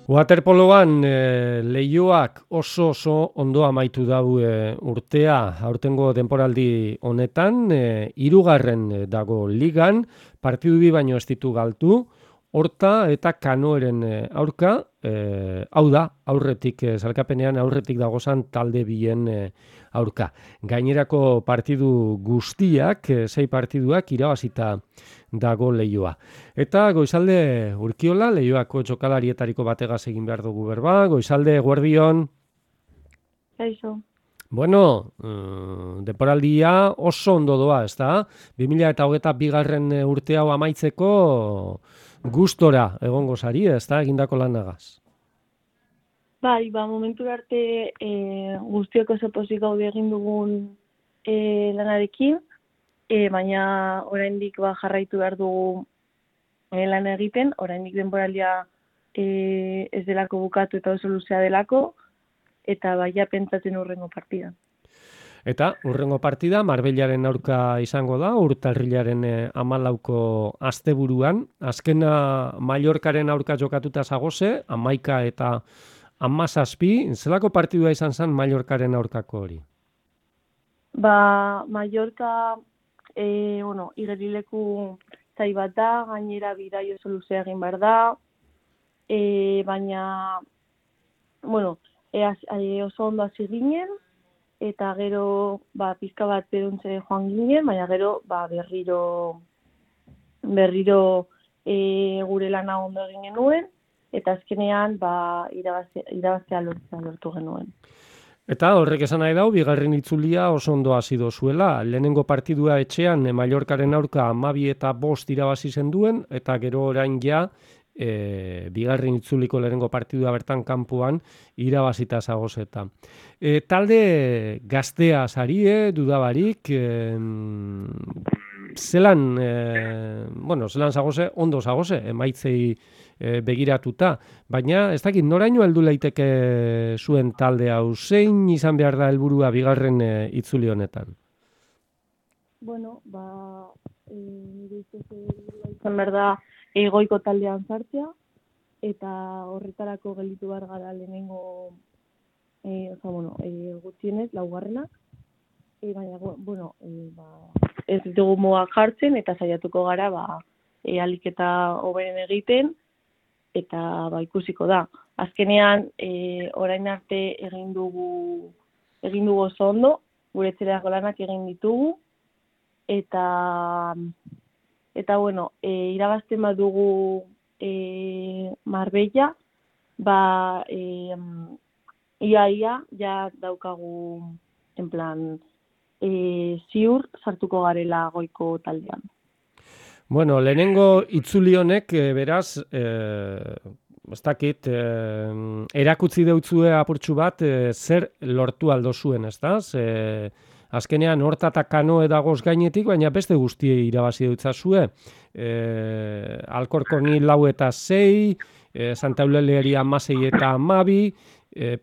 Waterpoloan Leioak oso ondo amaitu dau urtea, aurtengo denporaldi honetan, hirugarren dago ligan, partidu bi baino ez ditu galdu, horta eta kanoeren aurka, hau da, aurretik, sailkapenean aurretik dagozan talde bien aurka. Gainerako partidu guztiak, 6 partiduak irabazita dago Leioa. Eta goizalde Urkiola, Leioako txokalarietariko bategaz egin behar dugu berba. Goizalde, Guardion. Kaixo. Bueno, denporaldia oso ondo doa, ezta? 2022 urte hau amaitzeko gustora egongo sari, ezta? Egindako lanagaz. Bai, momentu arte guztiok oso pozik gaude egin dugun lanarekin, baina oraindik jarraitu behar dugu lan egiten, oraindik denboraldia ez delako bukatu eta oso luzea delako, eta baia pentsatzen hurrengo partida. Eta hurrengo partida Marbellaren aurka izango da, urtarrilaren 14ko asteburuan. Azkena Mallorcaren aurka jokatuta zagoze, 11 eta 17, zelako partidua izan zen Mallorcaren aurkako hori? Mallorca, igerileku zai bat da, gainera bidai oso luzea egin behar da, baina, oso ondo hasi ginen, eta gero pizka bat beruntze joan ginen, baina gero berriro gure lana ondo egin genuen, eta azkenean irabaztea lortu genuen. Eta horrek esan nahi dau, bigarren itzulia oso ondo hasi dozuela. Lehenengo partidua etxean Mallorcaren aurka 12 eta 5 irabazi zenduen, eta gero orain ja bigarren itzuliko lehenengo partidua bertan kanpoan irabazita zagozeta. Talde gaztea zarie, dudabarik, zelan zagoze, ondo zagoze, emaitzei begiratuta, baina ez dakit noraino heldu leiteke zuen talde hau, zein izan behar da helburua bigarren itzuli honetan? Nire izan behar da goiko taldean sartzea, eta horretarako gelditu behar gara lehenengo gutxienez, laugarrenak, baina, ez ditugu mugak jartzen, eta saiatuko gara, ahalik eta hoberen egiten, eta ikusiko da. Azkenean, orain arte egin dugu oso ondo, gure etxerako lanak egin ditugu, eta irabazten badugu Marbella, ia ja daukagu en plan ziur sartuko garela goiko taldean. Bueno, lehenengo itzuli honek, beraz, ez dakit, erakutsi deutzue apurtxu bat, zer lortu aldo zuen, ez da? Azkenean, horta eta kanoe dagoz gainetik, baina beste guztiei irabazi deutzazue. Alcorconi 4 eta 6, Santa Eulaliari 16 eta 12,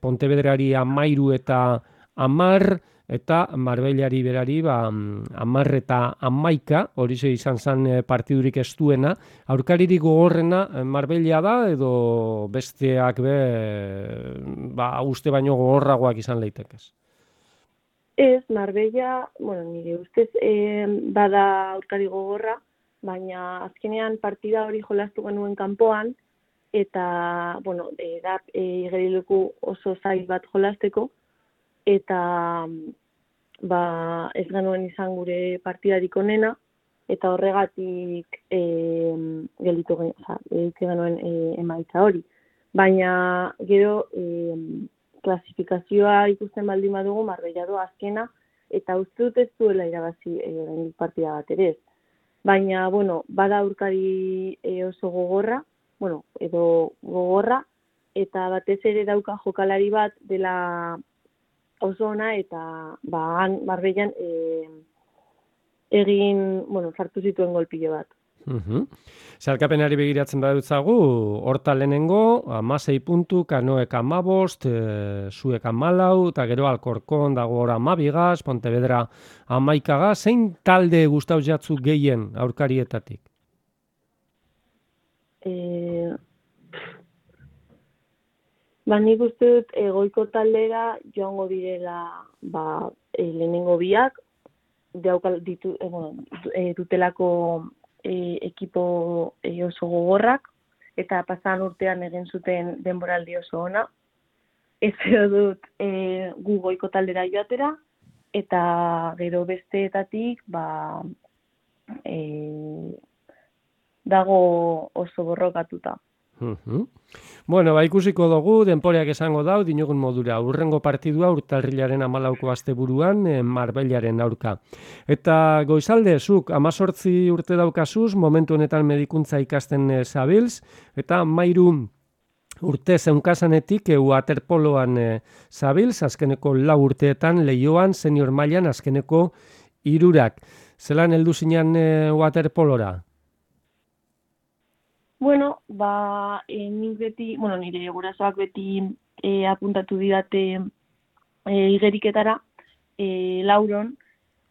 Pontevedrari 13 eta 10, eta Marbellari berari 10 eta 11, horixe izan zen partidurik ez duena. Aurkaririk gogorrena Marbella da, edo besteak uste baino gogorragoak izan leitekez? Ez, Marbella, nire ustez bada aurkari gogorra, baina azkenean partida hori jolastu genuen kanpoan, eta, da igerileku oso zail bat jolasteko, eta ez genuen izan gure partidarik onena, eta horregatik gelditu genuen emaitza hori. Baina gero klasifikazioa ikusten baldin badugu Marbella doa azkena, eta uste dut ez duela irabazi partida bat ere ez. Baina, bada aurkari oso gogorra, edo gogorra, eta batez ere dauka jokalari bat dela oso ona, eta Marbellan sartu zituen golpile bat. Sailkapenari begiratzen badutzagu, horta lehenengo, 16 puntu, Kanoek 15, Zuek 14, eta gero Alcorcon dago ora 12, Pontevedra 11, zein talde gustau jatzu gehien aurkarietatik? Nik uste dut goiko taldera joango direla lehenengo biak, dutelako ekipo oso gogorrak, eta pasan urtean egin zuten denboraldi oso ona. Ez dut gu goiko taldera joatera, eta gero besteetatik dago oso borrokatuta. Bueno, ikusiko dugu, denporeak esango dau, dinogun modura, urrengo partidua urtarrilaren 14ko asteburuan Marbellaren aurka. Eta Goizalde, zuk 18 urte daukazuz, momentu honetan medikuntza ikasten zabilz, eta 13 urte zeunkazanetik waterpoloan zabilz, azkeneko 4 urteetan Leioan, senior mailan azkeneko 3. Zelan heldu zinan waterpolora? Bueno, nire gurasoak beti apuntatu didate igeriketara Lauron,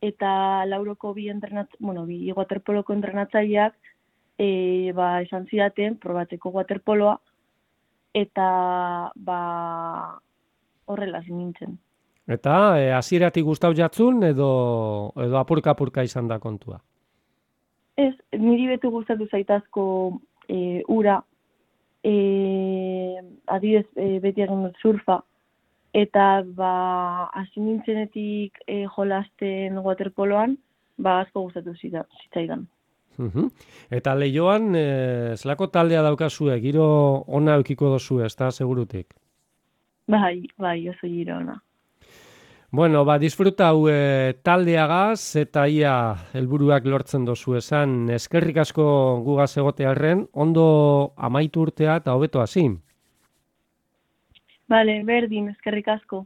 eta Lauroko bi waterpoloko entrenatzaileak esan zidaten probatzeko waterpoloa, eta horrela nintzen. Eta hasieratik gustau jatzun edo apurka izan da kontua? Ez, niri beti gustatu zaitazko ura, adibidez beti egin dut surfa, eta hasi nintzenetik jolasten waterpoloan, asko gustatu zitzaidan. Eta Leioan, zelako taldea daukazue, giro ona eukiko dozu, ez da, segurutik? Bai, oso giro ona. Bueno, disfrutau taldeagaz eta ia helburuak lortzen dozu esan. Eskerrik asko gugaz egotearren, ondo amaitu urtea eta hobeto hasi. Bale, berdin, eskerrik asko.